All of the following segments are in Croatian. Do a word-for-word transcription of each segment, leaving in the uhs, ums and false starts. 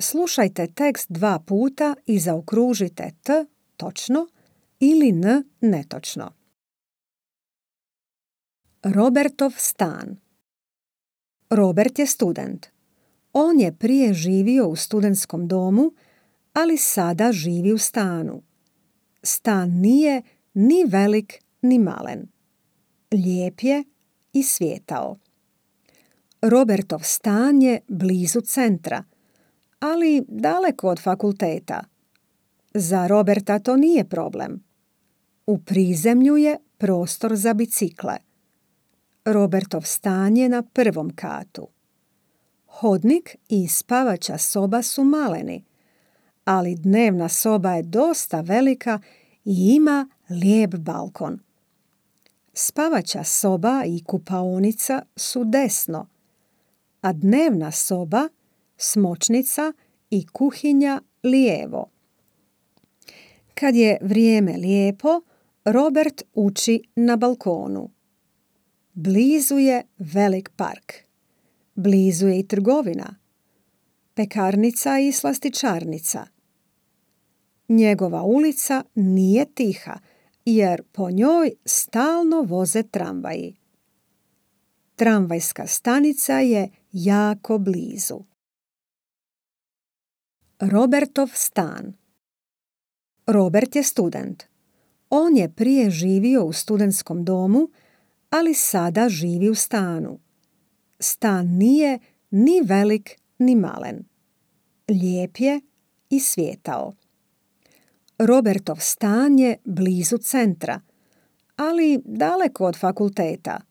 Slušajte tekst dva puta i zaokružite t točno ili n netočno. Robertov stan. Robert je student. On je prije živio u studentskom domu, ali sada živi u stanu. Stan nije ni velik ni malen. Lijep je i svijetao. Robertov stan je blizu centra, ali daleko od fakulteta. Za Roberta to nije problem. U prizemlju je prostor za bicikle. Robertov stan je na prvom katu. Hodnik i spavača soba su maleni, ali dnevna soba je dosta velika i ima lijep balkon. Spavača soba i kupaonica su desno, a dnevna soba, smočnica i kuhinja lijevo. Kad je vrijeme lijepo, Robert uči na balkonu. Blizu je velik park. Blizu je i trgovina, pekarnica i slastičarnica. Njegova ulica nije tiha, jer po njoj stalno voze tramvaji. Tramvajska stanica je jako blizu. Robertov stan. Robert je student. On je prije živio u studentskom domu, ali sada živi u stanu. Stan nije ni velik ni malen. Lijep je i svijetao. Robertov stan je blizu centra, ali daleko od fakulteta.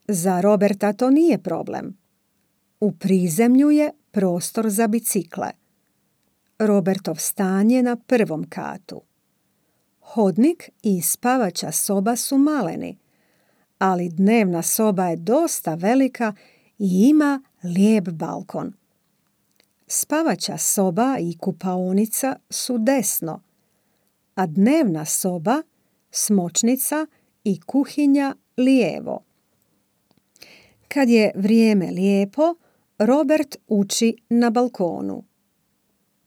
Za Roberta to nije problem. U prizemlju je prostor za bicikle. Robertov stan je na prvom katu. Hodnik i spavača soba su maleni, ali dnevna soba je dosta velika i ima lijep balkon. Spavača soba i kupaonica su desno, a dnevna soba, smočnica i kuhinja lijevo. Kad je vrijeme lijepo, Robert uči na balkonu.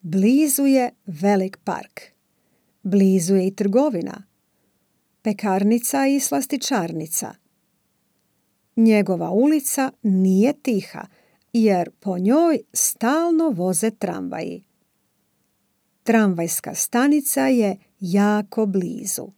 Blizu je velik park. Blizu je i trgovina, pekarnica i slastičarnica. Njegova ulica nije tiha, jer po njoj stalno voze tramvaji. Tramvajska stanica je jako blizu.